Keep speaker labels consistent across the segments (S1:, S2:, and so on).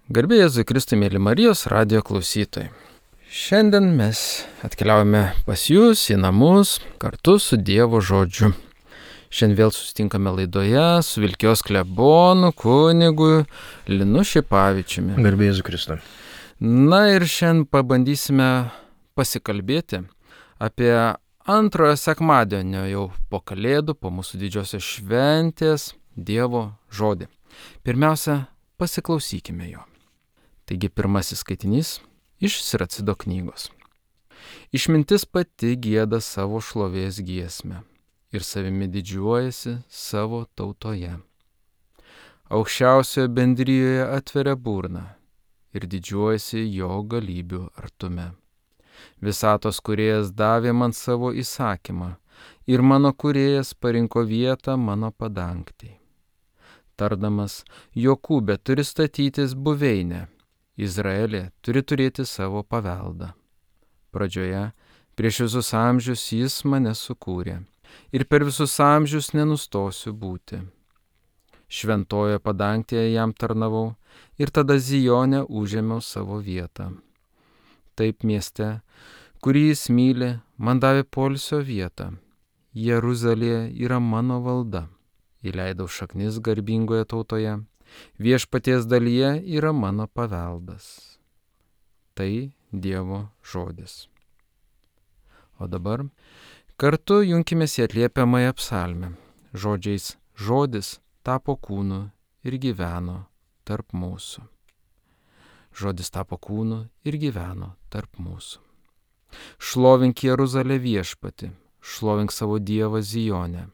S1: Garbė Jėzui Kristui, mėly Marijos radijo klausytojai. Šiandien mes atkeliaujame pas jūs į namus kartu su Dievo žodžiu. Šiandien vėl susitinkame laidoje su Vilkijos klebonu, kunigu Linu Šipavičiumi.
S2: Garbė Jėzui Kristui.
S1: Na ir šiandien pabandysime pasikalbėti apie antrojo sekmadienio jau po Kalėdų, po mūsų didžiosios šventės Dievo žodį. Pirmiausia, pasiklausykime jo. Taigi pirmasis skaitinys iš Siracido knygos. Išmintis pati gieda savo šlovės giesmę ir savimi didžiuojasi savo tautoje. Aukščiausioje bendrijoje atveria burną ir didžiuojasi jo galybių artume. Visatos kūrėjas davė man savo įsakymą ir mano kūrėjas parinko vietą mano padangtei. Tardamas, Jokūbė turi statytis buveinę, Izraelė turi turėti savo paveldą. Pradžioje, prieš visus amžius jis mane sukūrė ir per visus amžius nenustosiu būti. Šventojoje padangtėje jam tarnavau ir tada Zijone užėmiau savo vietą. Taip mieste, kurį jis myli, man davė poilsio vietą. Jeruzalėje yra mano valda. Įleidau šaknis garbingoje tautoje. Viešpaties dalyje yra mano paveldas. Tai Dievo žodis. O dabar kartu junkimės į atliepiamąją psalmę. Žodžiais žodis tapo kūnu ir gyveno tarp mūsų. Žodis tapo kūnu ir gyveno tarp mūsų. Šlovink Jeruzalę viešpatį, šlovink savo Dievą Zijone.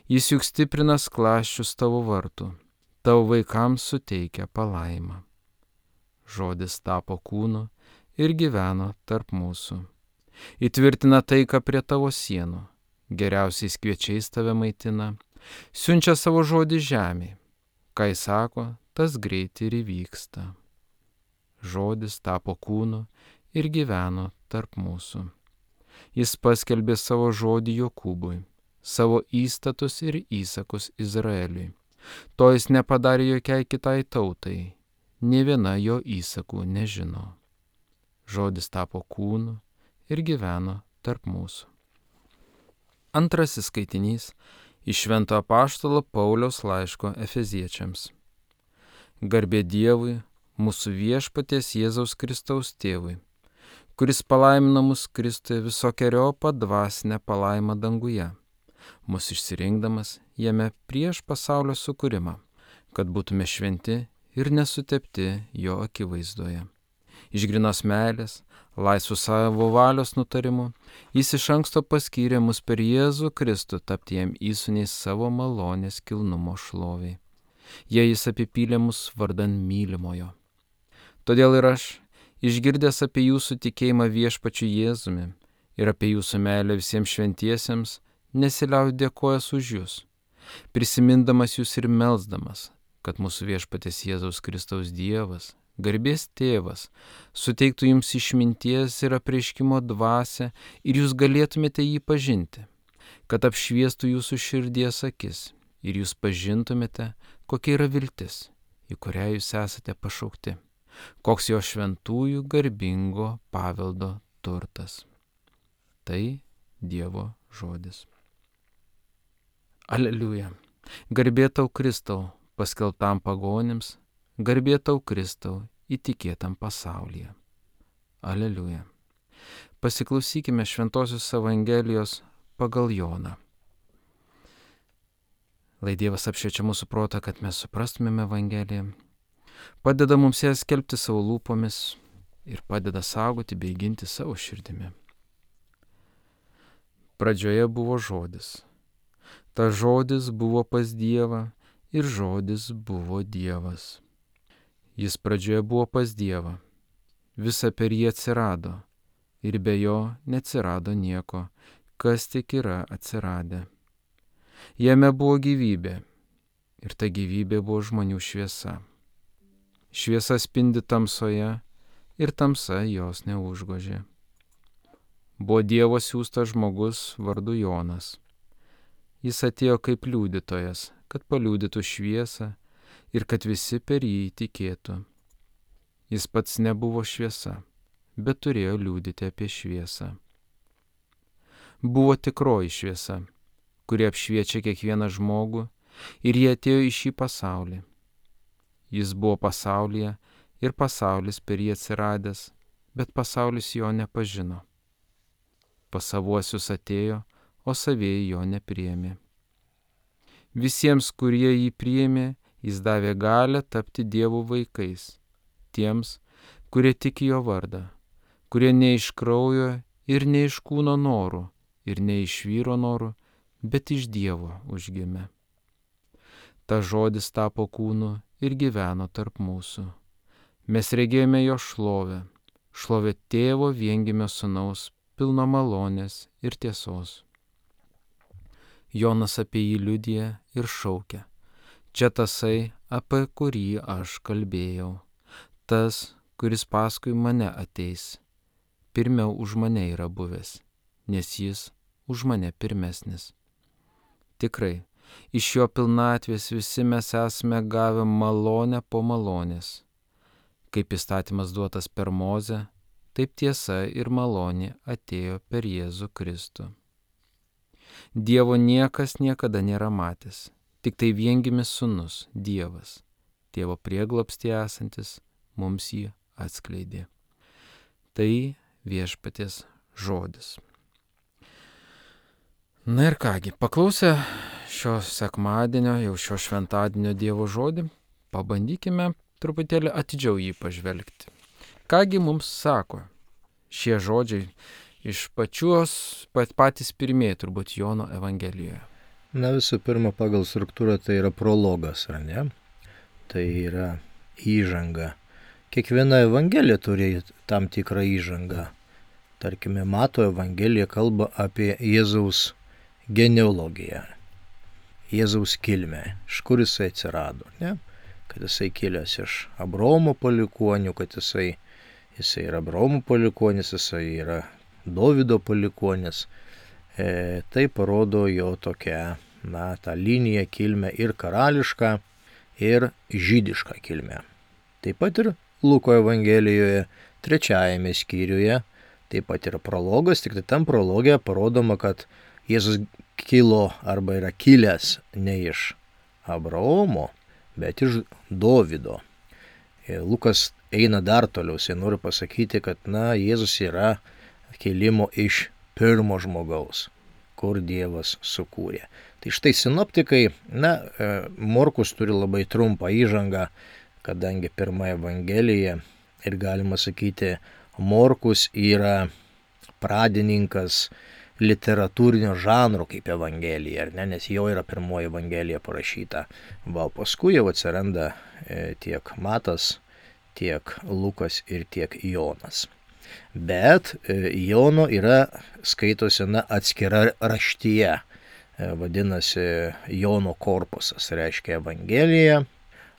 S1: Jis juk stiprina skląsčius tavo vartų. Tavo vaikams suteikia palaimą. Žodis tapo kūnu ir gyveno tarp mūsų. Įtvirtina taiką prie tavo sienų. Geriausiais kviečiais tave maitina. Siunčia savo žodį žemėje. Ką jis sako, tas greit ir įvyksta. Žodis tapo kūnu ir gyveno tarp mūsų. Jis paskelbė savo žodį Jokūbui, savo įstatus ir įsakus Izraeliui. To jis nepadarė jokiai kitai tautai, nė viena jo įsakų nežino. Žodis tapo kūnu ir gyveno tarp mūsų. Antrasis skaitinys iš Švento apaštalo Pauliaus laiško Efeziečiams. Garbė Dievui, mūsų viešpaties Jėzaus Kristaus tėvui, kuris palaimino mus Kristuje visokeriopą dvasinę palaimą danguje, mus išsirinkdamas jame prieš pasaulio sukūrimą, kad būtume šventi ir nesutepti jo akivaizdoje. Iš grynos meilės, laisvų savo valios nutarimu, jis iš anksto paskyrė mus per Jėzų Kristų tapti jam įsūniais savo malonės kilnumo šloviai. Jei jis apipylė mus vardan mylimojo. Todėl ir aš, išgirdęs apie jūsų tikėjimą viešpačiu Jėzumi ir apie jūsų meilę visiems šventiesiems, nesiliauju dėkojas už jūs, prisimindamas jūs ir melsdamas, kad mūsų viešpaties Jėzaus Kristaus Dievas, garbės tėvas, suteiktų jums išminties ir apreiškimo dvasią ir jūs galėtumėte jį pažinti, kad apšviestų jūsų širdies akis ir jūs pažintumėte, kokia yra viltis, į kurią jūs esate pašaukti, koks jo šventųjų garbingo paveldo turtas. Tai Dievo žodis. Aleliuja. Garbė tau Kristau, paskelbtam pagonims, garbė tau Kristau, įtikėtam pasaulyje. Aleliuja. Pasiklausykime Šventosios Evangelijos pagal Joną. Lai Dievas apšviečia mūsų protą, kad mes suprastumėme Evangeliją, padeda mums ją skelbti savo lūpomis ir padeda saugoti bei ginti savo širdimi. Pradžioje buvo žodis. Ta žodis buvo pas Dievą ir žodis buvo Dievas. Jis pradžioje buvo pas Dievą. Visa per jį atsirado ir be jo neatsirado nieko, kas tik yra atsiradę. Jame buvo gyvybė ir ta gyvybė buvo žmonių šviesa. Šviesa spindi tamsoje ir tamsa jos neužgožė. Buvo Dievo siųstas žmogus vardu Jonas. Jis atėjo kaip liudytojas, kad paliudytų šviesą ir kad visi per jį tikėtų. Jis pats nebuvo šviesa, bet turėjo liudyti apie šviesą. Buvo tikroji šviesa, kuri apšviečia kiekvieną žmogų, ir jie atėjo į šį pasaulį. Jis buvo pasaulyje ir pasaulis per jį atsiradęs, bet pasaulis jo nepažino. Pas savuosius atėjo, o savieji jo nepriėmė. Visiems, kurie jį priėmė, jis davė galią tapti Dievo vaikais, tiems, kurie tiki jo vardą, kurie ne iš kraujo ir ne iš kūno norų, ir ne iš vyro norų, bet iš Dievo užgimė. Ta žodis tapo kūnu ir gyveno tarp mūsų. Mes regėjome jo šlovę, šlovę tėvo viengimio sūnaus, pilno malonės ir tiesos. Jonas apie jį liudija ir šaukia: čia tasai, apie kurį aš kalbėjau, tas, kuris paskui mane ateis. Pirmiau už mane yra buvęs, nes jis už mane pirmesnis. Tikrai, iš jo pilnatvės visi mes esame gavę malonę po malonės. Kaip įstatymas duotas per Mozę, taip tiesa ir malonė atėjo per Jėzų Kristų. Dievo niekas niekada nėra matęs, tik tai viengimis sūnus, Dievas, tėvo prieglobstyje esantis, mums jį atskleidė. Tai viešpaties žodis. Na ir kągi, paklausę šio sekmadienio, jau šio šventadienio Dievo žodį, pabandykime truputėlį atidžiau jį pažvelgti. Kągi mums sako šie žodžiai iš patys pirmieji turbūt Jono Evangelijoje?
S2: Na, visų pirma, pagal struktūrą tai yra prologas, ar ne? Tai yra įžanga. Kiekviena evangelija turi tam tikrą įžangą. Tarkime, Mato evangelija kalba apie Jėzaus genealogiją, Jėzaus kilmę, iš kur jisai atsirado, ne? Kad jisai kilęs iš Abraomo palikuonių, kad jisai yra Abraomo palikuonis, jisai yra Dovydo palikuonis. Tai parodo jo tokią, tą liniją kilmę ir karališką, ir žydišką kilmę. Taip pat ir Luko evangelijoje 3 skyriuje taip pat yra prologas, tik tai tam prologė parodoma, kad Jėzus kilo arba yra kilęs ne iš Abraomo, bet iš Dovydo. Lukas eina dar toliau, jis nori pasakyti, kad Jėzus yra kilimo iš pirmo žmogaus, kur Dievas sukūrė. Tai štai sinoptikai, Morkus turi labai trumpą įžangą, kadangi pirma evangelija ir galima sakyti, Morkus yra pradininkas literatūrinio žanro kaip evangelija, ar ne, nes jo yra pirmoji evangelija parašyta. O paskui jau atsiranda tiek Matas, tiek Lukas ir tiek Jonas. Bet Jono yra skaitosi atskira raštyje, vadinasi Jono korpusas, reiškia evangelija,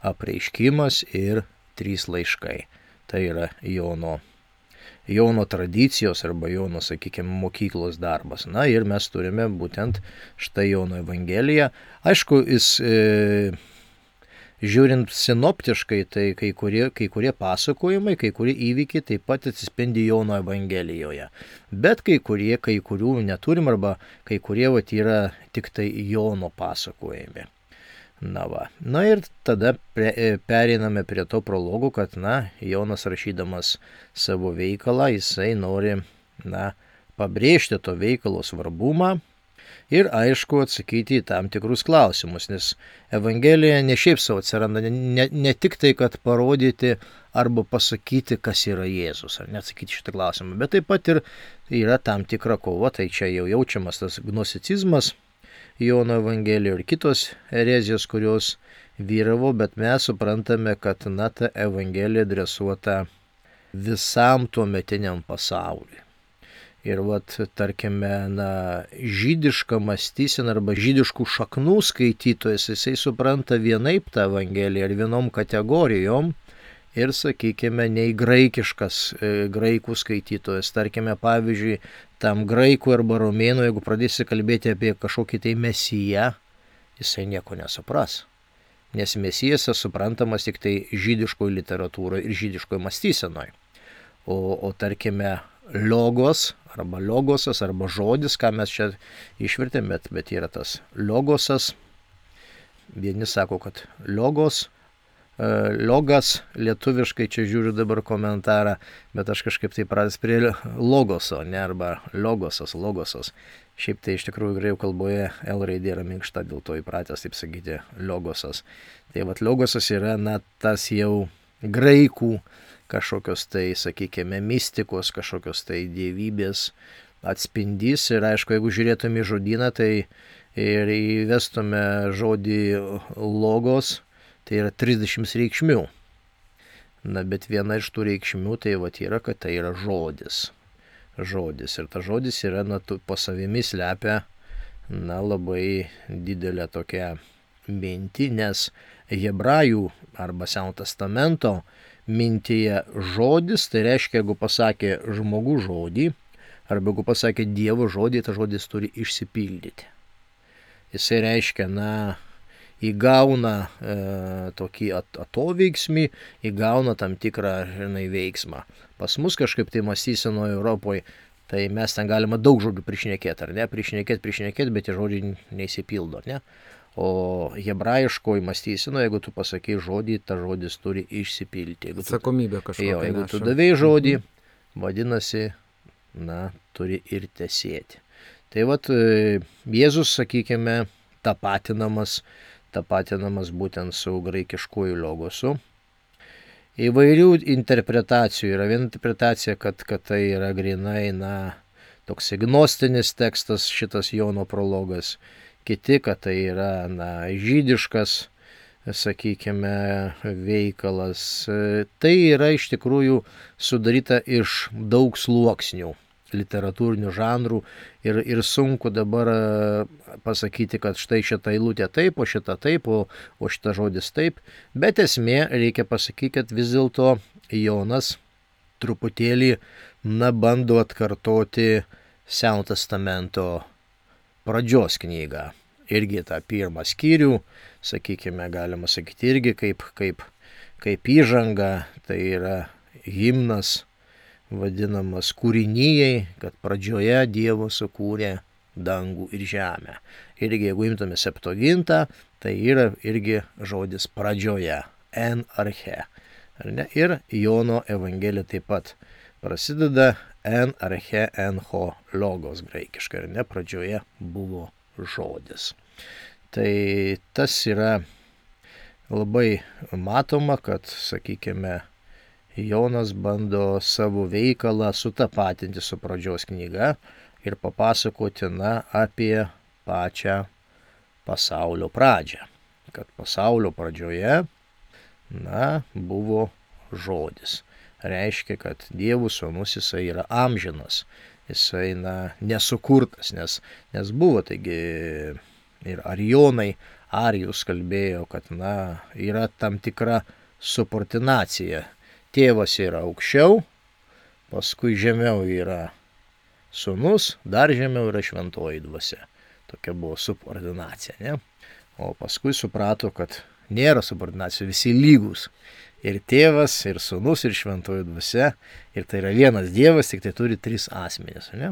S2: apreiškimas ir 3 laiškai. Tai yra Jono tradicijos arba Jono, sakykime, mokyklos darbas. Ir mes turime būtent štai Jono evangeliją. Aišku, jis žiūrint sinoptiškai, tai kai kurie pasakojimai, kai kurie įvykiai taip pat atsispindi Jono evangelijoje. Bet kai kurių neturim arba kai kurie yra tik tai Jono pasakojami. Ir tada pereiname prie to prologų, kad Jonas rašydamas savo veikalą, jisai nori pabrėžti to veikalo svarbumą ir aišku atsakyti į tam tikrus klausimus, nes evangelija ne šiaip savo atsiranda, ne tik tai, kad parodyti arba pasakyti, kas yra Jėzus, ar neatsakyti šitą klausimą, bet taip pat ir yra tam tikra kova, tai čia jau jaučiamas tas gnosticizmas Jono evangelijoje ir kitos erezijos, kurios vyravo, bet mes suprantame, kad ta evangelija adresuota visam tuometiniam pasauliui. Ir tarkime, žydiška mąstysena arba žydiškų šaknų skaitytojas, jisai supranta vienaip tą evangeliją ir vienom kategorijom ir, sakykime, nei graikiškas graikų skaitytojas. Tarkime, pavyzdžiui, tam graikų arba romėnų, jeigu pradėsi kalbėti apie kažkokį tai mesiją, jisai nieko nesupras. nes Mesijas suprantamas tik tai žydiškoje literatūroje ir žydiškoje mąstysenoje. O tarkime, logos arba logosas arba žodis, ką mes čia išvertėme, bet yra tas logosas. Vieni sako, kad logas, lietuviškai čia žiūriu dabar komentarą, bet aš kažkaip tai pradės prie logoso, ne, arba logosas. Šiaip tai iš tikrųjų graikų kalboje L raidė yra minkšta, dėl to įpratęs taip sakyti logosas. Tai vat logosas yra, tas jau graikų kažkokios tai, sakykime, mistikos, kažkokios tai dievybės atspindys. Ir aišku, jeigu žiūrėtume į žodyną, tai ir įvestume žodį logos, tai yra 30 reikšmių. Bet viena iš tų reikšmių tai yra, kad tai yra žodis. Ir tas žodis yra, po savimi slepia, labai didelę tokią mintį, nes hebrajų arba Senojo testamento mintyje žodis, tai reiškia, jeigu pasakė žmogų žodį, arba jeigu pasakė Dievo žodį, tas žodis turi išsipildyti. Jisai reiškia, įgauna tokį atoveiksmį, įgauna tam tikrą veiksmą. Pas mus kažkaip tai mąstysenoje Europoje, tai mes ten galima daug žodžių prišnekėti, ar ne? Prišnekėti, bet tie žodžiai neįsipildo, ne? O hebrajiškoji mąstysenoje, jeigu tu pasakai žodį, tas žodis turi išsipilti.
S1: Atsakomybė kažkokia.
S2: Jeigu tu davei žodį, vadinasi, turi ir tesėti. Tai Jėzus, sakykime, tapatinamas būtent su graikiškuoju logosu. Įvairių interpretacijų. Yra viena interpretacija, kad tai yra grinai, toks gnostinis tekstas, šitas Jono prologas. Kiti, kad tai yra, žydiškas, sakykime, veikalas. Tai yra iš tikrųjų sudaryta iš daug sluoksnių literatūrinių žanrų ir sunku dabar pasakyti, kad štai šitą eilutę taip, o šitą taip, o šitą žodis taip. Bet esmė, reikia pasakyti, kad vis dėlto Jonas truputėlį bando atkartoti Senojo testamento pradžios knygą. Irgi tą pirmą skyrių, sakykime, galima sakyti irgi kaip įžanga, tai yra himnas vadinamas kūrinijai, kad pradžioje Dievo sukūrė dangų ir žemę. Irgi, jeigu imtume Septuagintą, tai yra irgi žodis pradžioje, en arche. Ir Jono evangelija taip pat prasideda en arche en ho logos graikiškai, pradžioje buvo žodis. Tai tas yra labai matoma, kad, sakykime, Jonas bando savo veikalą sutapatinti su pradžios knyga ir papasakoti apie pačią pasaulio pradžią. Kad pasaulio pradžioje buvo žodis. Reiškia, kad Dievo sūnus jisai yra amžinas. Jisai nesukurtas, nes buvo, taigi ir Arijus kalbėjo, kad yra tam tikra subordinacija. Tėvas yra aukščiau, paskui žemiau yra sūnus, dar žemiau yra šventoji dvasia. Tokia buvo subordinacija, ne? O paskui suprato, kad nėra subordinacijų, visi lygus. Ir tėvas, ir sūnus, ir šventoji dvasia. Ir tai yra vienas Dievas, tik tai turi 3 asmenis, ne?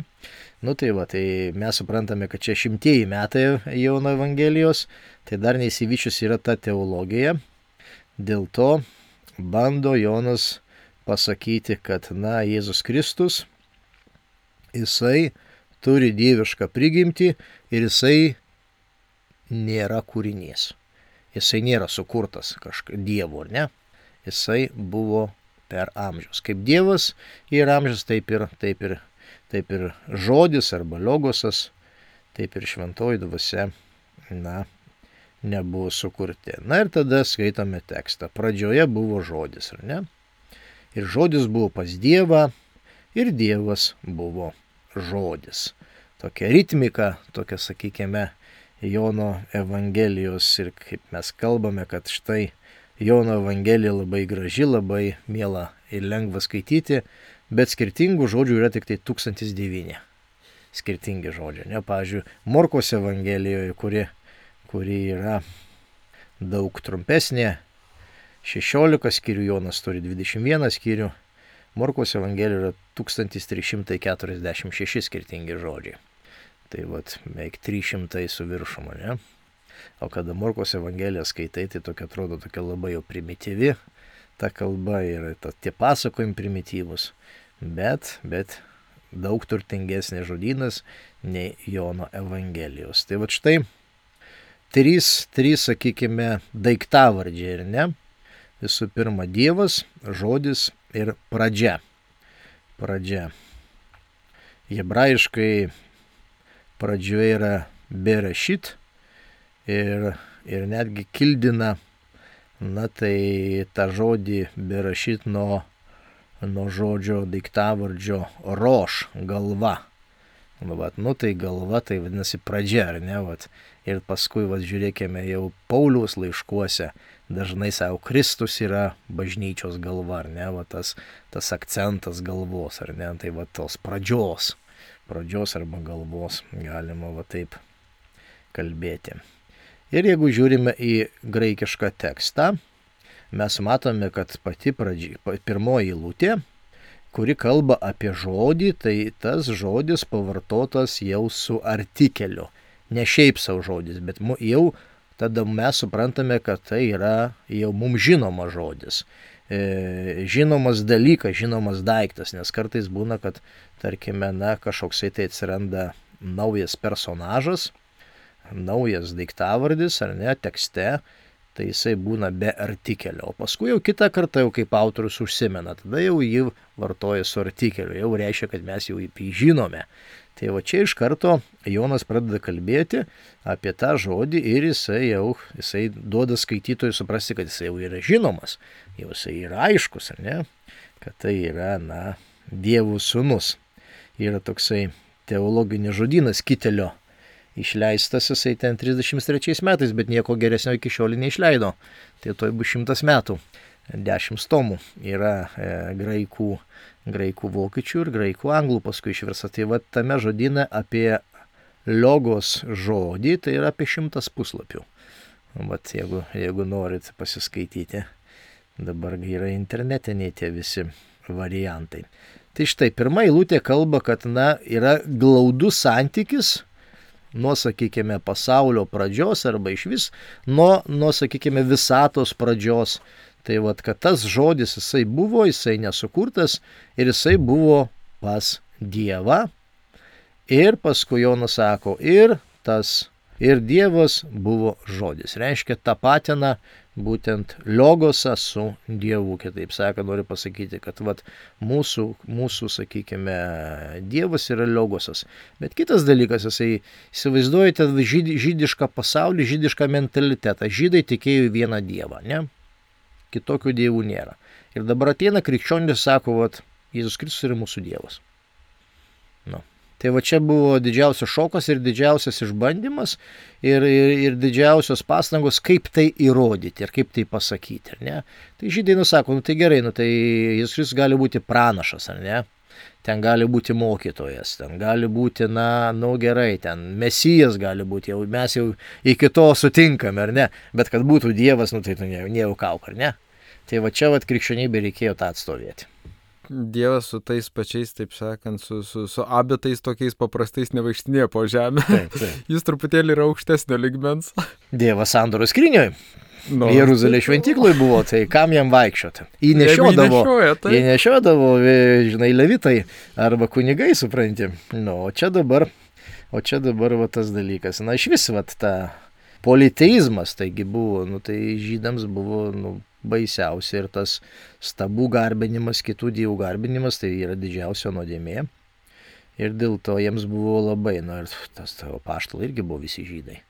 S2: Tai mes suprantame, kad čia 100 metai Jono evangelijos, tai dar neįsivyčius yra ta teologija. Dėl to bando Jonas pasakyti, kad Jėzus Kristus, jisai turi dievišką prigimtį ir jisai nėra kūrinys. Jisai nėra sukurtas Dievo, ar ne? Jisai buvo per amžius. Kaip Dievas yra amžius, taip ir žodis arba logosas, taip ir šventoji dvasia, nebuvo sukurti. Ir tada skaitome tekstą. Pradžioje buvo žodis, ar ne? Ir žodis buvo pas Dievą, ir Dievas buvo žodis. Tokia ritmika, tokia, sakykime, Jono evangelijos ir kaip mes kalbame, kad štai Jono evangelija labai graži, labai miela ir lengva skaityti, bet skirtingų žodžių yra tik tai 1009. Skirtingi žodžiai, ne? Pavyzdžiui, Morkos evangelijoje, kuri yra, daug trumpesnė, 16 skyrių, Jonas turi 21 skyrių, Morkaus Evangelija yra 1346 skirtingi žodžiai. Tai vat, beveik 300 su viršum, ne? O kada Morkaus Evangeliją skaitai, tai tokia atrodo tokia labai jau primityvi, ta kalba ir tie pasakojimai primityvus, bet daug turtingesnės žodynas nei Jono Evangelijos. Tai vat štai trys, sakykime, daiktavardžiai, ir ne? Visų pirma, Dievas, žodis ir pradžia. Pradžia. Hebrajiškai pradžioje yra berešit ir netgi kildina, na tai tą žodį berešit nuo žodžio daiktavardžio roš, galva. Vat, nu tai galva, tai vadinasi pradžia, ar ne? Vat. Ir paskui, vat, žiūrėkime, jau Pauliaus laiškuose dažnai savo Kristus yra bažnyčios galva, ar ne? Vat, tas akcentas galvos, ar ne? Tai vat, tos pradžios arba galvos galima va taip kalbėti. Ir jeigu žiūrime į graikišką tekstą, mes matome, kad pati pirmoji eilutė, kuri kalba apie žodį, tai tas žodis pavartotas jau su artikeliu. Ne šiaip savo žodis, bet jau tada mes suprantame, kad tai yra jau mums žinomas žodis. Žinomas dalykas, žinomas daiktas, nes kartais būna, kad, tarkime, kažkoksai tai atsiranda naujas personažas, naujas daiktavardis, ar ne, tekste, tai jisai būna be artikelio. O paskui jau kitą kartą, jau kaip autorius užsimena, tada jau jį vartoja su artikeliu, jau reiškia, kad mes jau jį žinome. Tai va čia iš karto Jonas pradeda kalbėti apie tą žodį ir jisai duoda skaitytojui suprasti, kad jisai jau yra žinomas, jau jisai yra aiškus, ar ne, kad tai yra, Dievo sūnus. Yra toksai teologinis žodynas Kitelio, išleistas jisai ten 33 metais, bet nieko geresnio iki šiol neišleido. Tai toj bus 100 metų, 10 tomų yra graikų, vokiečių ir graikų, anglų paskui išversta. Tai va tame žodyne apie logos žodį, tai yra apie 100 puslapių. Vat jeigu norit pasiskaityti, dabar yra internetiniai tie visi variantai. Tai štai pirma eilutė kalba, kad yra glaudus santykis nuo, sakykime, pasaulio pradžios arba iš vis nuo, sakykime, visatos pradžios. Tai vat, kad tas žodis jisai buvo, jisai nesukurtas ir jisai buvo pas Dievą. Ir paskui Jonas sako, ir Dievas buvo žodis. Reiškia, tapatina būtent logosą su Dievu. Kitaip sakant, noriu pasakyti, kad vat, mūsų, sakykime, Dievas yra logosas. Bet kitas dalykas, jisai įsivaizduojate žydišką pasaulį, žydišką mentalitetą. Žydai tikėjo į vieną Dievą, ne? Kitokių dievų nėra. Ir dabar ateina krikščionis, sako, vat, Jėzus Kristus yra mūsų Dievas. Tai va čia buvo didžiausias šokas ir didžiausias išbandymas ir didžiausios pastangos, kaip tai įrodyti ir kaip tai pasakyti, ar ne? Tai žydai nusako, tai gerai, tai Jėzus Kristus gali būti pranašas, ar ne? Ten gali būti mokytojas, ten gali būti, gerai, ten Mesijas gali būti, mes jau iki to sutinkame, ar ne? Bet kad būtų Dievas, tai nejuokauk, ar ne? Tai va čia krikščionybė reikėjo tą atstovėti.
S1: Dievas su tais pačiais, taip sakant, su abitais tokiais paprastais nevaikštinėje po žemę. Taip. Jis truputėlį yra aukštesnio ligmens.
S2: Dievas sandoros skrynioj. Jeruzalės šventykloje buvo, tai kam jam vaikščioti? Jį nešiodavo, žinai, levitai arba kunigai, supranti. O čia dabar va tas dalykas. Iš vis, va, ta politeizmas, taigi buvo, tai žydams buvo, baisiausia ir tas stabų garbinimas, kitų dievų garbinimas, tai yra didžiausia nuodėmė. Ir dėl to jiems buvo labai, ir tas apaštalai irgi buvo visi žydai.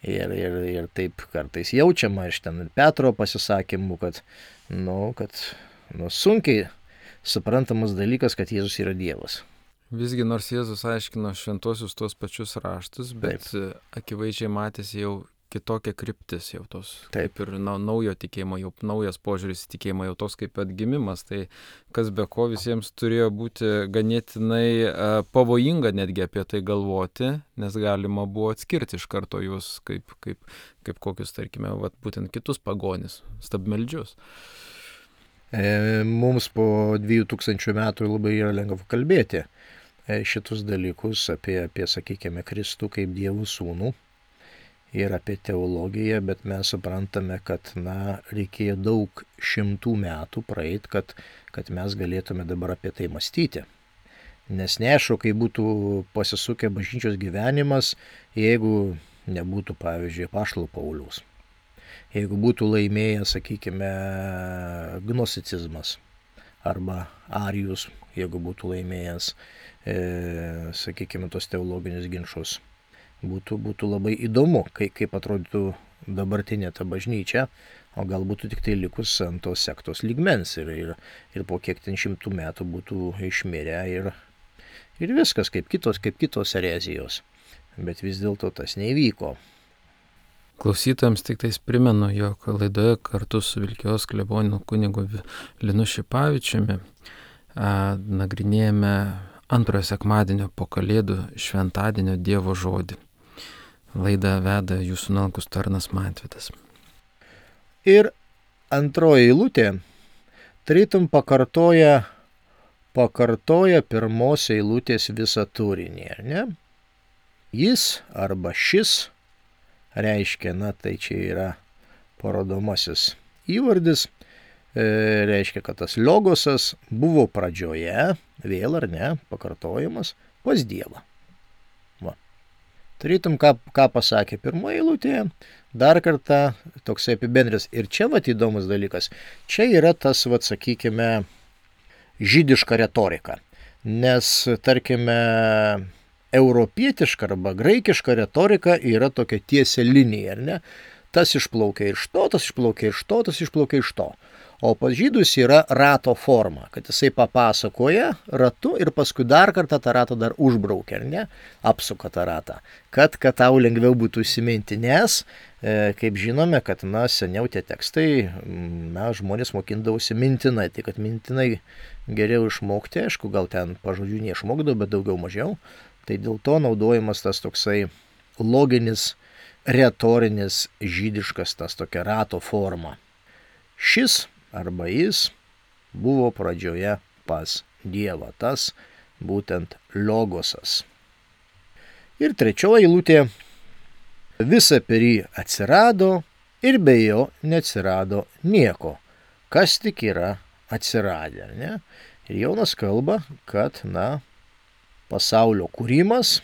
S2: Ir taip kartais jaučiama iš ten Petro pasisakymų, kad sunkiai suprantamas dalykas, kad Jėzus yra Dievas.
S1: Visgi nors Jėzus aiškino šventuosius tuos pačius raštus, bet akivaizdžiai matėsi jau kitokia kryptis jau tos.
S2: Taip.
S1: Ir naujo tikėjimo, jau naujas požiūris į tikėjimą, jau tos kaip atgimimas. Tai kas be ko visiems turėjo būti ganėtinai pavojinga netgi apie tai galvoti, nes galima buvo atskirti iš karto juos kaip kokius, tarkime, būtent kitus pagonis, stabmeldžius.
S2: Mums po 2000 metų labai yra lengva kalbėti šitus dalykus apie, sakykime, Kristų kaip Dievo sūnų ir apie teologiją, bet mes suprantame, kad, reikėjo daug šimtų metų praeit, kad mes galėtume dabar apie tai mąstyti. Nes neaišku, kai būtų pasisukę bažnyčios gyvenimas, jeigu nebūtų, pavyzdžiui, apaštalo Pauliaus. Jeigu būtų laimėjęs, sakykime, gnosticizmas arba arijus, jeigu būtų laimėjęs, sakykime, tos teologinius ginčus, būtų labai įdomu, kaip atrodytų dabartinė ta bažnyčia, o gal būtų tik tai likus ant tos sektos lygmens ir po kiek ten 100 metų būtų išmirę ir viskas kaip kitos erezijos. Bet vis dėlto tas neįvyko.
S1: Klausytojams tik tais primenu, jog laidoje kartu su Vilkijos klebonu kunigu Linu Šipavičiumi nagrinėjame antrojo sekmadienio po Kalėdų šventadienio Dievo žodį. Laidą veda jūsų nuolankus tarnas Mantvydas.
S2: Ir antroji eilutė tarytum pakartoja pirmos eilutės visą turinį, ar ne? Jis arba šis reiškia, tai čia yra parodomasis įvardis, reiškia, kad tas logosas buvo pradžioje, vėl ar ne, pakartojimas, pas Dievą. Tarytum, ką pasakė pirmoje eilutėje, dar kartą toksai apibendris. Ir čia įdomus dalykas, čia yra tas, sakykime, žydiška retorika. Nes, tarkime, europietiška arba graikiška retorika yra tokia tiesia linija, ar ne? Tas išplaukia iš to, tas išplaukia iš to, tas išplaukia iš to. O pas žydus yra rato forma, kad jisai papasakoja ratu ir paskui dar kartą tą ratą dar užbraukia, ar ne? Apsuka tą ratą, kad tau lengviau būtų įsiminti, nes, kaip žinome, kad, seniau tie tekstai, žmonės mokindavosi mintinai, tai kad mintinai geriau išmokti, aišku, gal ten pažodžių neišmokdavo, bet daugiau mažiau. Tai dėl to naudojamas tas toksai loginis, retorinis, žydiškas, tas tokia rato forma. Šis arba jis buvo pradžioje pas Dievą, tas būtent logosas. Ir trečioji eilutė, visa per jį atsirado ir be jo neatsirado nieko, kas tik yra atsiradę, ne? Ir Jonas kalba, kad, pasaulio kūrimas,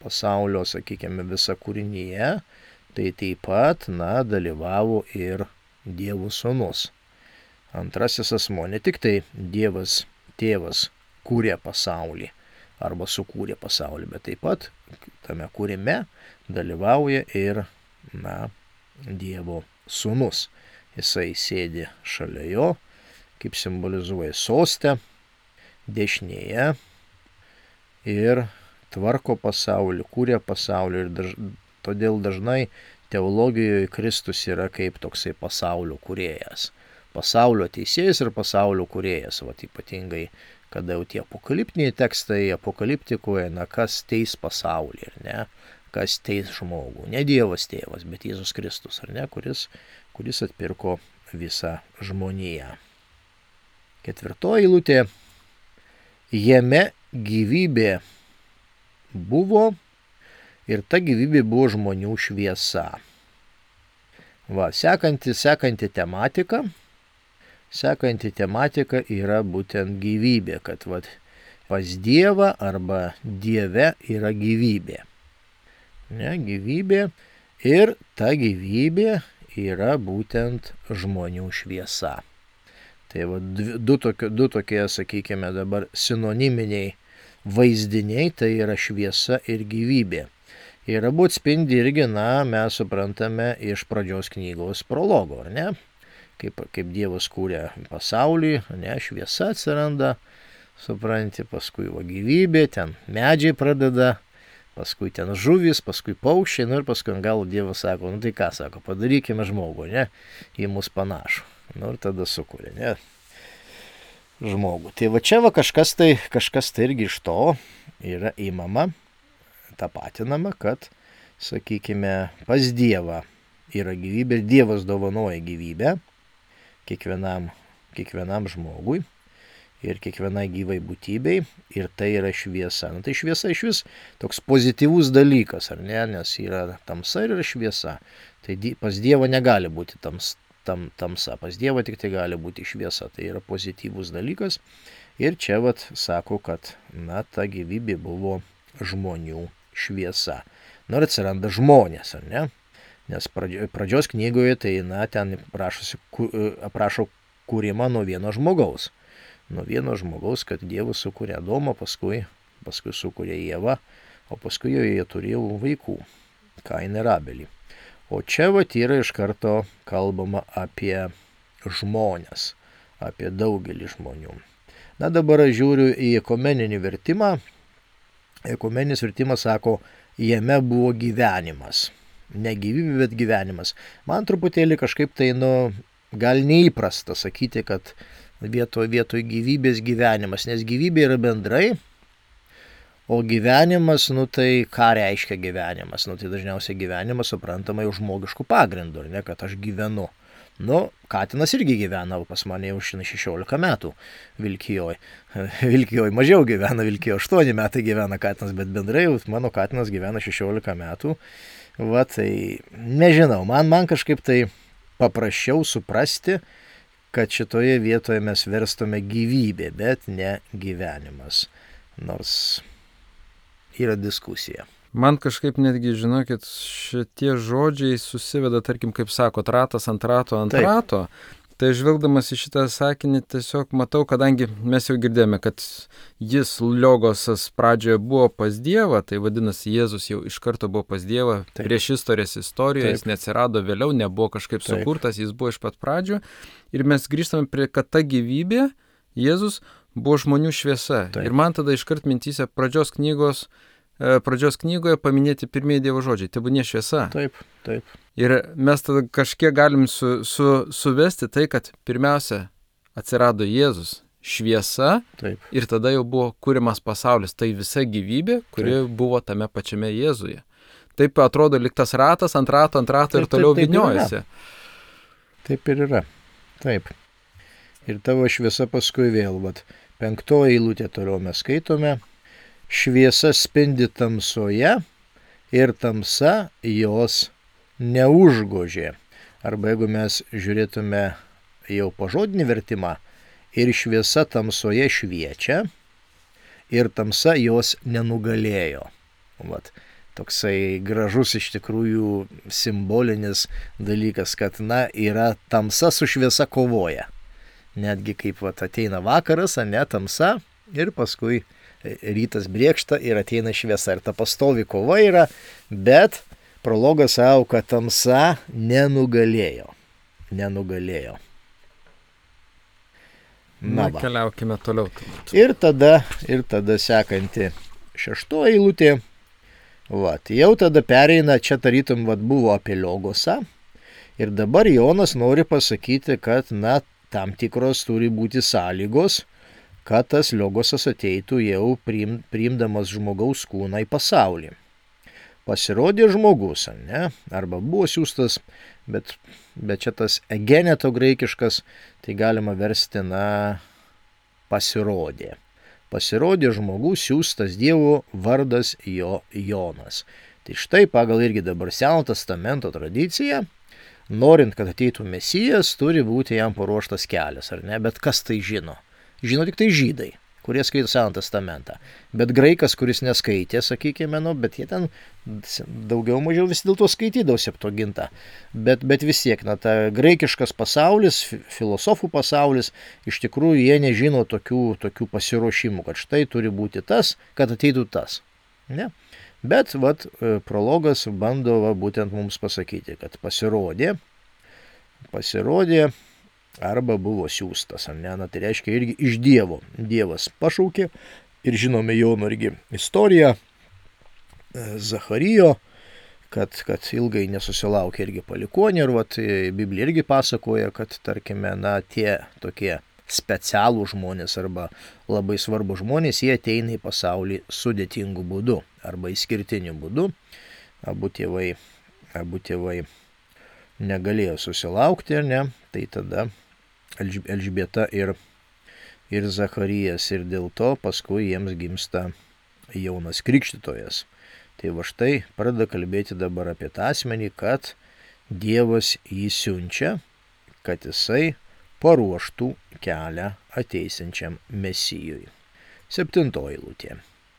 S2: pasaulio, sakykime, visa kūrinyje, tai taip pat, dalyvavo ir Dievo sūnus. Antrasis asmuo, ne tik tai Dievas tėvas kūrė pasaulį arba sukūrė pasaulį, bet taip pat tame kūrime dalyvauja ir, Dievo sūnus. Jisai sėdi šalia jo, kaip simbolizuoja sostę, dešinėje ir tvarko pasaulį, kūrė pasaulį ir todėl dažnai teologijoje Kristus yra kaip toksai pasaulio kūrėjas. Pasaulio teisėjas ir pasaulio kūrėjas, ypatingai, kada jau tie apokaliptiniai tekstai apokaliptikoje, kas teis pasaulį, ar ne, kas teis žmogų. Ne Dievas tėvas, bet Jėzus Kristus, ar ne, kuris atpirko visą žmoniją. Ketvirtoji eilutė, jame gyvybė buvo ir ta gyvybė buvo žmonių šviesa. Sekanti tematika yra būtent gyvybė, kad pas Dievą arba Dieve yra gyvybė. Ne, gyvybė ir ta gyvybė yra būtent žmonių šviesa. Tai du tokie, sakykime, dabar sinoniminiai vaizdiniai, tai yra šviesa ir gyvybė. Ir abu atspindi irgi, mes suprantame iš pradžios knygos prologo, ar ne? Kaip Dievas kūrė pasaulį, ne, šviesa atsiranda, supranti, paskui gyvybė, ten medžiai pradeda paskui ten žuvis, paskui paukščiai, nu ir paskui gal Dievas sako, nu tai ką sako, padarykime žmogų, ne, į mus panašų. Nu ir tada sukuria, ne, žmogų. Tai va čia va kažkas tai irgi iš to yra įmama, tapatinama, kad, sakykime, pas Dievą yra gyvybė ir Dievas dovanoja gyvybę kiekvienam žmogui ir kiekvienai gyvai būtybei, ir tai yra šviesa. Nu, tai šviesa iš vis toks pozityvus dalykas, ar ne, nes yra tamsa ir yra šviesa. Tai pas Dievą negali būti tamsa, pas Dievą tik tai gali būti šviesa, tai yra pozityvus dalykas. Ir čia vat sako, kad, na, ta gyvybė buvo žmonių šviesa. Nu ir atsiranda žmonės, ar ne? Nes pradžios knygoje tai, na, ten aprašo kūrimą nuo vieno žmogaus. Nuo vieno žmogaus, kad Dievas sukūrė Adomą, paskui sukūrė Ievą, o paskui jie turėjo vaikų, Kainą ir Abelį. O čia vat yra iš karto kalbama apie žmonės, apie daugelį žmonių. Na dabar aš žiūriu į ekumeninį vertimą. Ekumeninis vertimas sako, jame buvo gyvenimas. Ne gyvybė, bet gyvenimas. Man truputėlį kažkaip tai, gal neįprasta sakyti, kad vietoj gyvybės gyvenimas, nes gyvybė yra bendrai, o gyvenimas, tai ką reiškia gyvenimas? Tai dažniausiai gyvenimas suprantama jau žmogiškų pagrindų, ne, kad aš gyvenu. Katinas irgi gyvena, pas mane jau 16 metų Vilkijoj. Vilkijoj mažiau gyvena, Vilkijoj 8 metai gyvena katinas, bet bendrai mano katinas gyvena 16 metų. Va, tai nežinau, man kažkaip tai paprasčiau suprasti, kad šitoje vietoje mes verstume gyvybė, bet ne gyvenimas. Nors yra diskusija.
S1: Man kažkaip netgi, žinokit, šitie žodžiai susiveda, tarkim, kaip sakot, ratas ant rato ant rato. Tai žvelgdamas į šitą sakinį tiesiog matau, kadangi mes jau girdėjome, kad jis, Logosas, pradžioje buvo pas Dievą, tai vadinasi, Jėzus jau iš karto buvo pas Dievą. Prieš istorijoje, jis neatsirado vėliau, nebuvo kažkaip sukurtas, jis buvo iš pat pradžio. Ir mes grįžtame prie, kad ta gyvybė, Jėzus, buvo žmonių šviesa. Ir man tada iškart mintyse pradžios knygoje paminėti pirmieji Dievo žodžiai. Tebūnie šviesa.
S2: Taip.
S1: Ir mes tada kažkiek galim suvesti tai, kad pirmiausia atsirado Jėzus, šviesa, ir tada jau buvo kūrimas pasaulis. Tai visa gyvybė, kuri buvo tame pačiame Jėzuje. Taip atrodo lyg tas ratas ant rato ir toliau vyniojasi.
S2: Taip ir yra. Taip. Ir tavo šviesa paskui vėl, 5 eilutė toliau mes skaitome. Šviesa spindi tamsoje ir tamsa jos neužgožė. Arba jeigu mes žiūrėtume jau pažodinį vertimą, ir šviesa tamsoje šviečia, ir tamsa jos nenugalėjo. Toksai gražus iš tikrųjų simbolinis dalykas, kad, yra tamsa su šviesa kovoja. Netgi kaip ateina vakaras, tamsa, ir paskui rytas brėkšta ir ateina šviesa. Ir ta pastovi kova yra, bet prologas sako, kad tamsa nenugalėjo.
S1: Keliaukime toliau.
S2: Ir tada sekanti 6 eilutė. Jau tada pereina, čia tarytum buvo apie Logosą. Ir dabar Jonas nori pasakyti, kad, tam tikros turi būti sąlygos, kad tas Logosas ateitų jau priimdamas žmogaus kūną į pasaulį. Pasirodė žmogus, arba buvo siųstas, bet čia tas egeneto graikiškas, tai galima versti, pasirodė. Pasirodė žmogus siųstas Dievo, vardas jo Jonas. Tai štai pagal irgi dabar Seno testamento tradiciją, norint, kad ateitų Mesijas, turi būti jam paruoštas kelias, ar ne? Bet kas tai žino? Žino tik tai žydai, kurie skaito Seną testamentą. Bet graikas, kuris neskaitė, sakykime, bet jie ten daugiau mažiau vis dėlto skaitydavo Septuagintą. Bet vis tiek, ta graikiškas pasaulis, filosofų pasaulis, iš tikrųjų jie nežino tokių pasiruošimų, kad štai turi būti tas, kad ateitų tas. Ne? Bet prologas bando būtent mums pasakyti, kad pasirodė arba buvo siųstas, tai reiškia irgi iš Dievo. Dievas pašaukė ir žinome Jono irgi istoriją, Zacharijo, kad ilgai nesusilaukė irgi palikuonį ir Biblija irgi pasakoja, kad tarkime, tie tokie specialų žmonės arba labai svarbų žmonės, jie ateina į pasaulį sudėtingų būdų arba išskirtiniu būdu. Abu tėvai negalėjo susilaukti, ar ne? Tai tada Elžbieta ir Zacharijas, ir dėl to paskui jiems gimsta Jonas Krikštytojas. Tai va štai pradeda kalbėti dabar apie tą asmenį, kad Dievas jį siunčia, kad jisai paruoštų kelią ateisiančiam Mesijui. 7 eilutė.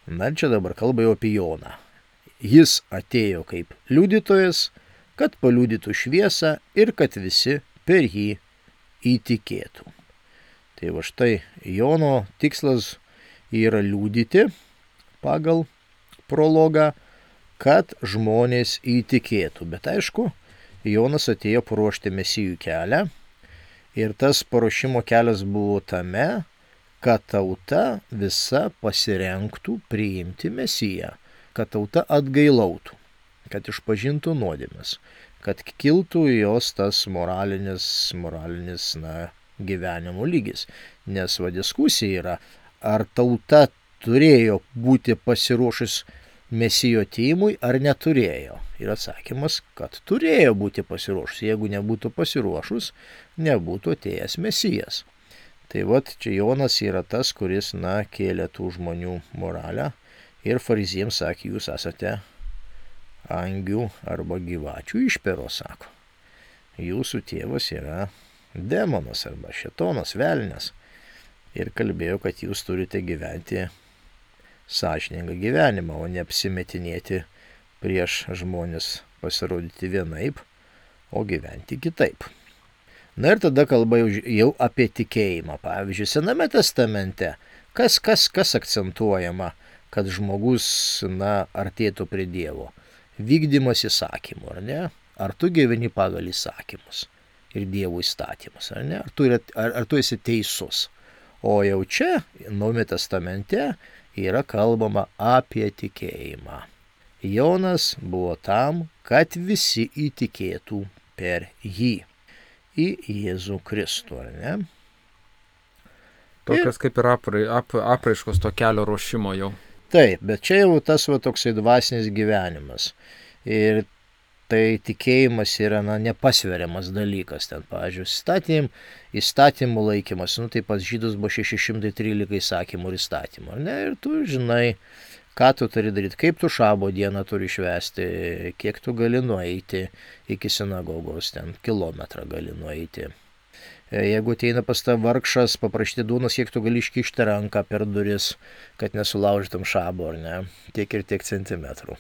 S2: Na čia dabar kalba jau apie Joną. Jis atėjo kaip liudytojas, kad paliudytų šviesą ir kad visi per jį įtikėtų. Tai va štai Jono tikslas yra liudyti pagal prologą, kad žmonės įtikėtų. Bet aišku, Jonas atėjo paruošti Mesijų kelią ir tas paruošimo kelias buvo tame, kad tauta visa pasirenktų priimti Mesiją, kad tauta atgailautų, kad išpažintų nuodėmes, kad kiltų jos tas moralinis gyvenimo lygis. Nes diskusija yra, ar tauta turėjo būti pasiruošus Mesijo atėjimui ar neturėjo. Ir atsakymas, kad turėjo būti pasiruošus. Jeigu nebūtų pasiruošus, nebūtų atėjęs Mesijas. Tai čia Jonas yra tas, kuris kėlė tų žmonių moralę ir fariziems sakė, jūs esate angių arba gyvačių išperos, sako. Jūsų tėvas yra demonas arba šėtonas, velnias. Ir kalbėjo, kad jūs turite gyventi sąžiningą gyvenimą, o ne apsimetinėti prieš žmonės, pasirodyti vienaip, o gyventi kitaip. Na ir tada kalba jau apie tikėjimą. Pavyzdžiui, Sename testamente, kas akcentuojama, kad žmogus artėtų prie Dievo? Vykdymas įsakymų, ar ne? Ar tu gyveni pagal įsakymus ir Dievo įstatymus, ar ne? Ar tu esi teisus? O jau čia, Naujame testamente, yra kalbama apie tikėjimą. Jonas buvo tam, kad visi įtikėtų per jį, į Jėzų Kristų, ar ne?
S1: Tokias kaip ir apraiškos to kelio ruošimo jau.
S2: Taip, bet čia jau tas toksai dvasinis gyvenimas. Ir tai tikėjimas yra nepasveriamas dalykas. Ten, pavyzdžiui, įstatymų laikymas, tai pas žydus buvo 613 įsakymų ir įstatymų, ar ne? Ir tu žinai, ką tu turi daryti, kaip tu šabo dieną turi švęsti, kiek tu gali nueiti iki sinagogos, ten kilometrą gali nueiti. Jeigu ateina pas tą vargšas, paprašyti duonos, kiek tu gali iškišti ranką per duris, kad nesulaužytum šabo, ar ne? Tiek ir tiek centimetrų.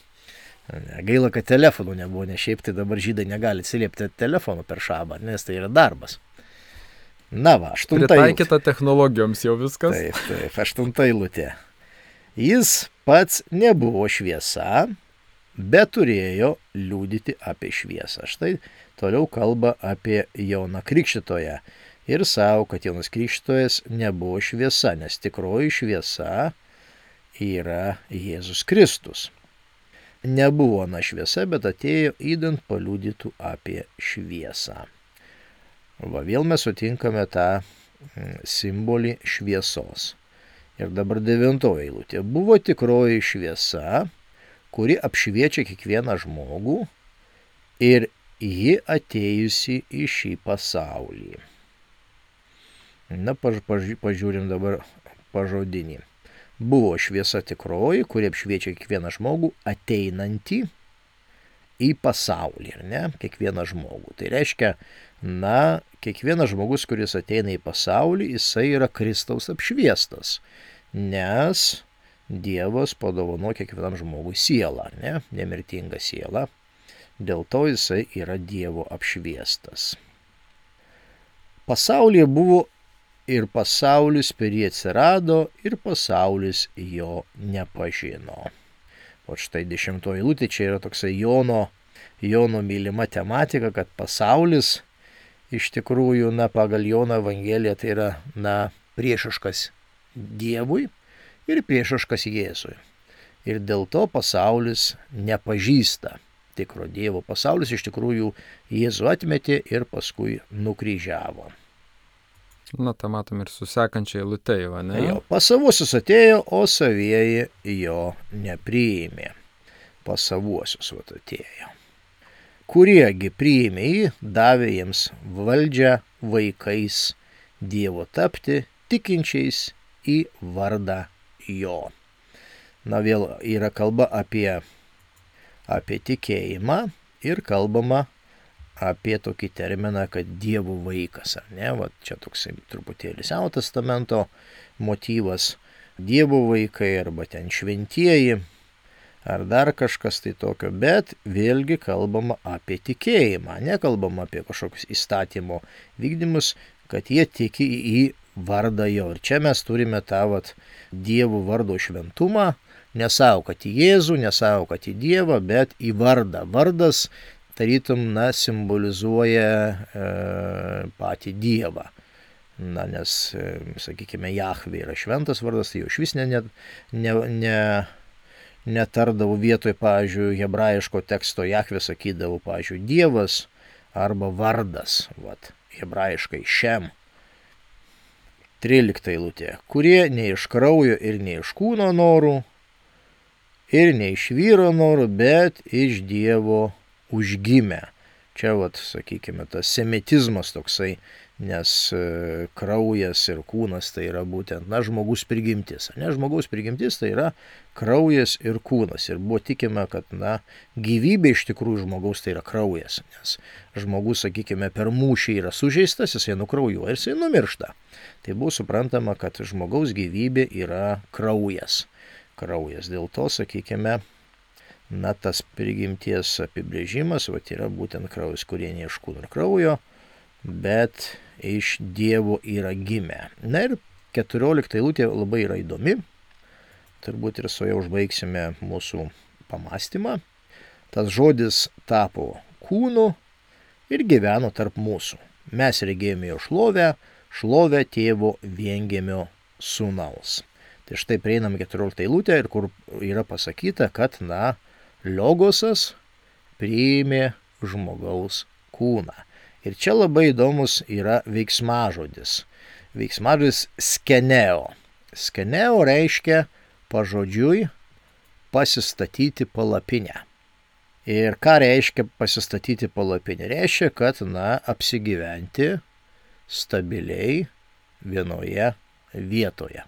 S2: Gaila, kad telefonų nebuvo, nes šiaip tai dabar žydai negali atsiliepti telefonų per šabą, nes tai yra darbas. 8
S1: Pritaikyta technologijoms jau viskas.
S2: Taip, 8 eilutė. Jis pats nebuvo šviesa, bet turėjo liudyti apie šviesą. Štai toliau kalba apie Joną Krikštytoją. Ir savo, kad Jonas Krikštytojas nebuvo šviesa, nes tikroji šviesa yra Jėzus Kristus. Nebuvo šviesa, bet atėjo įdant paliudytų apie šviesą. Vėl mes sutinkame tą simbolį šviesos. Ir dabar 9 eilutė. Buvo tikroji šviesa, kuri apšviečia kiekvieną žmogų ir ji atėjusi į šį pasaulį. Pažiūrim dabar pažodinį. Buvo šviesa tikroji, kuri apšviečia kiekvieną žmogų ateinantį į pasaulį, ar ne? Kiekvieną žmogų. Tai reiškia, kiekvienas žmogus, kuris ateina į pasaulį, jisai yra Kristaus apšviestas, nes Dievas padovano kiekvienam žmogui sielą, ar ne? Nemirtingą sielą. Dėl to jisai yra Dievo apšviestas. Pasaulyje buvo ir pasaulis per jį atsirado, ir pasaulis jo nepažino. O štai 10 eilutė, čia yra toksai Jono mylima tematika, kad pasaulis iš tikrųjų, pagal Jono Evangeliją tai yra, priešiškas Dievui ir priešiškas Jėzui. ir dėl to pasaulis nepažįsta tikro Dievo. Pasaulis iš tikrųjų Jėzų atmetė ir paskui nukryžiavo.
S1: Na, tą matom ir su sekančia eilute jau, ne?
S2: Jo, pas savuosius atėjo, o savieji jo nepriėmė. Pas savuosius atėjo. Kuriegi priėmė jį, davė jiems valdžią vaikais Dievo tapti, tikinčiais į vardą jo. Na, vėl yra kalba apie tikėjimą ir kalbama apie tokį terminą, kad Dievo vaikas, ar ne? Va, čia toksai truputėlį Senojo testamento motyvas. Dievo vaikai arba ten šventieji ar dar kažkas tai tokio, bet vėlgi kalbama apie tikėjimą, nekalbama apie kažkokius įstatymo vykdymus, kad jie tiki į vardą jo. Ir čia mes turime tą Dievo vardo šventumą, nesau, kad į Jėzų, nesau, kad į Dievą, bet į vardą. Vardas tarytum, simbolizuoja patį Dievą. Na, nes, sakykime, Jahvė yra šventas vardas, tai jau iš vis netardavo vietoj, pavyzdžiui, hebrajiško teksto Jahvė sakydavo, pavyzdžiui, Dievas arba vardas, hebrajiškai šem. 13 eilutė. Kurie ne iš kraujo ir ne iš kūno norų, ir ne iš vyro norų, bet iš Dievo užgimę. Čia, sakykime, tas semitizmas toksai, nes kraujas ir kūnas tai yra būtent, žmogus prigimtis. Ne, žmogaus prigimtis tai yra kraujas ir kūnas. Ir buvo tikima, kad, gyvybė iš tikrųjų žmogaus tai yra kraujas. Nes žmogus, sakykime, per mūšį yra sužeistas, jisai nukraujuoja ir jisai numiršta. Tai buvo suprantama, kad žmogaus gyvybė yra kraujas. Dėl to, sakykime, tas prigimties apibrėžimas yra būtent kraujas, kurie ne iš kūno ir kraujo, bet iš Dievo yra gimę. Na ir 14 eilutė labai yra įdomi. Turbūt ir su ja užbaigsime mūsų pamastymą. Tas žodis tapo kūnu ir gyveno tarp mūsų. Mes regėjome jo šlovę tėvo viengimio sūnaus. Tai štai prieinam 14 eilutę ir kur yra pasakyta, kad, Logosas priėmė žmogaus kūną. Ir čia labai įdomus yra veiksmažodis. Veiksmažodis skeneo. Skeneo reiškia pažodžiui pasistatyti palapinę. Ir ką reiškia pasistatyti palapinę? Reiškia, kad, apsigyventi stabiliai vienoje vietoje.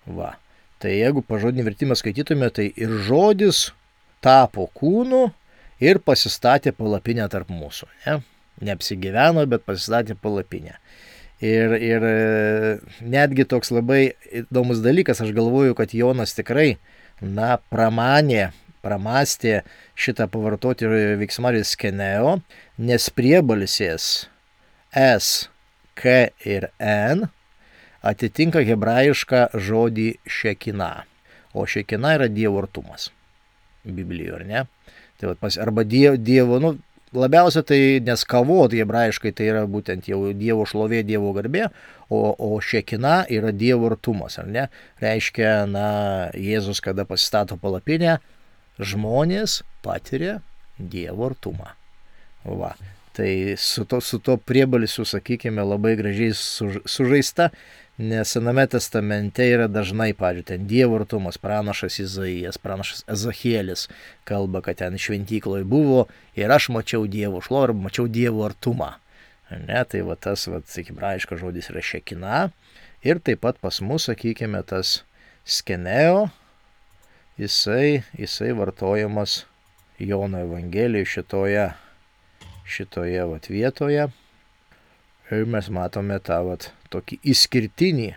S2: Tai jeigu pažodinį vertimą skaitytume, tai ir žodis tapo kūnu ir pasistatė palapinę tarp mūsų. Neapsigyveno, bet pasistatė palapinę. Ir netgi toks labai įdomus dalykas, aš galvoju, kad Jonas tikrai, pramastė šitą pavartoti veiksmažodį skeneo, nes priebalsės S, K ir N atitinka hebrajišką žodį šekina. O šekina yra Dievo artumas. Biblijoje, ar ne? Tai arba Dievo, labiausia tai nes kavot hebrajiškai tai yra būtent jau Dievo šlovė, Dievo garbė, o šekina yra Dievo artumas, ar ne? Reiškia, Jėzus, kada pasistato palapinę, žmonės patiria Dievo artumą. Tai su to priebalsiu, sakykime, labai gražiai sužaista, nes Sename testamente yra dažnai, pavyzdžiui, ten Dievo artumas, pranašas Izaijas, pranašas Ezachielis kalba, kad ten šventykloje buvo ir aš mačiau Dievo šlovę, arba mačiau Dievo artumą. Ne, tai tas, sakykime, hebrajiškas žodis yra šekina. Ir taip pat pas mus, sakykime, tas skeneo, jisai vartojamas Jono Evangelijoje šitoje vietoje. Ir mes matome tą tokį išskirtinį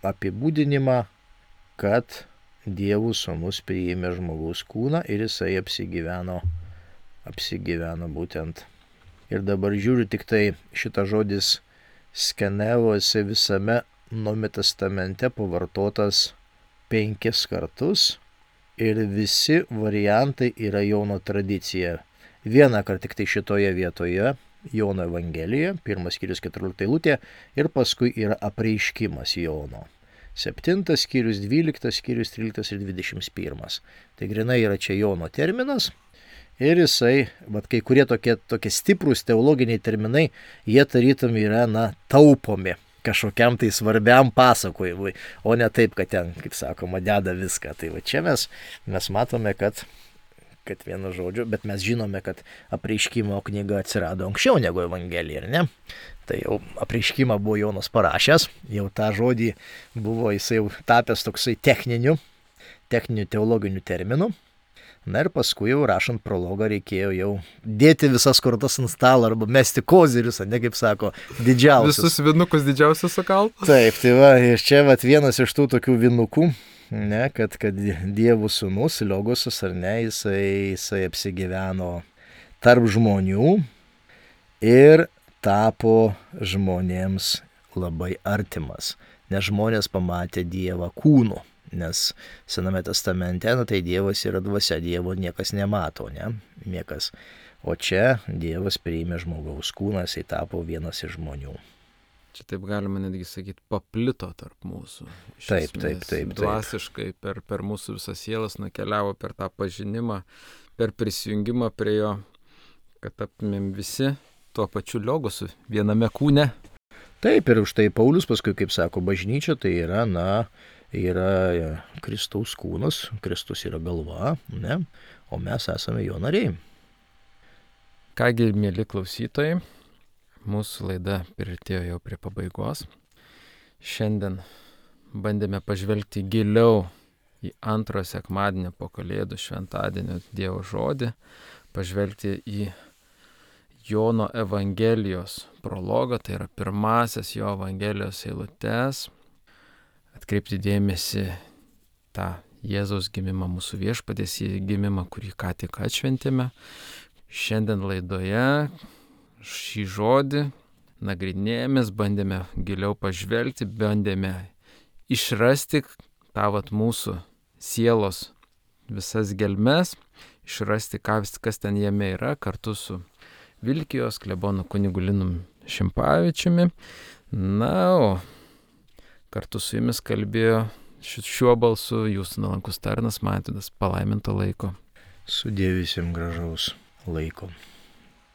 S2: apibūdinimą, kad Dievo sūnus priėmė žmogaus kūną ir jisai apsigyveno būtent. Ir dabar žiūriu tik tai šitą žodis skeneo, jisai visame Naujojo testamente pavartotas 5 kartus ir visi variantai yra Jono tradicija. Vieną kartą tik tai šitoje vietoje Jono Evangelijoje, 1 skyrius 14 eilutė, ir paskui yra apreiškimas Jono. 7 skyrius, 12 skyrius, 13 ir 21. Tai grinai yra čia Jono terminas. Ir jisai, kai kurie tokie stiprūs teologiniai terminai, jie tarytum yra, taupomi kažkokiam tai svarbiam pasakojimui, o ne taip, kad ten, kaip sakoma, deda viską. Tai va čia mes matome, kad vienu žodžiu, bet mes žinome, kad Apreiškimo knyga atsirado anksčiau negu Evangelija, ar ne? Tai jau Apreiškimą buvo Jonas parašęs, jau tą žodį buvo jisai jau tapęs toksai techniniu teologiniu terminu. Na ir paskui jau rašant prologą reikėjo jau dėti visas kortas ant stalo arba mesti kozirius, ne kaip sako, didžiausius.
S1: Visus vinukus didžiausius sukalt.
S2: Taip, tai va, ir čia vienas iš tų tokių vinukų, ne, kad Dievo sūnus, Logosas, ar ne, jisai apsigyveno tarp žmonių ir tapo žmonėms labai artimas, nes žmonės pamatė Dievą kūnu. Nes Sename testamente, tai Dievas yra dvasia, Dievo niekas nemato, ne? Niekas. O čia Dievas priėmė žmogaus kūną, jisai tapo vienas iš žmonių.
S1: Čia taip galima netgi sakyti, paplito tarp mūsų.
S2: Taip.
S1: Dvasiškai per mūsų visas sielas nukeliavo per tą pažinimą, per prisijungimą prie jo, kad taptumėm visi tuo pačiu Logosu, viename kūne.
S2: Taip, ir už tai Paulius paskui, kaip sako, bažnyčia tai yra, yra Kristaus kūnas, Kristus yra galva, ne? O mes esame jo nariai.
S1: Kągi, mėly klausytojai, mūsų laida priartėjo jau prie pabaigos. Šiandien bandėme pažvelgti giliau į antrojo sekmadienio po Kalėdų šventadienio Dievo žodį, pažvelgti į Jono Evangelijos prologą, tai yra pirmasias jo Evangelijos eilutes, atkreipti dėmesį tą Jėzaus gimimą, mūsų viešpaties gimimą, kurį ką tik atšventėme. Šiandien laidoje šį žodį nagrinėjomės, bandėme giliau pažvelgti, bandėme išrasti tą mūsų sielos visas gelmes, išrasti, kas ten jame yra, kartu su Vilkijos klebonu kunigu Linu Šimpavičiumi. Na, o kartu su jumis kalbėjo šiuo balsu jūsų nuolankus tarnas Mažvydas. Palaiminto laiko.
S2: Sudie visiems gražaus laiko.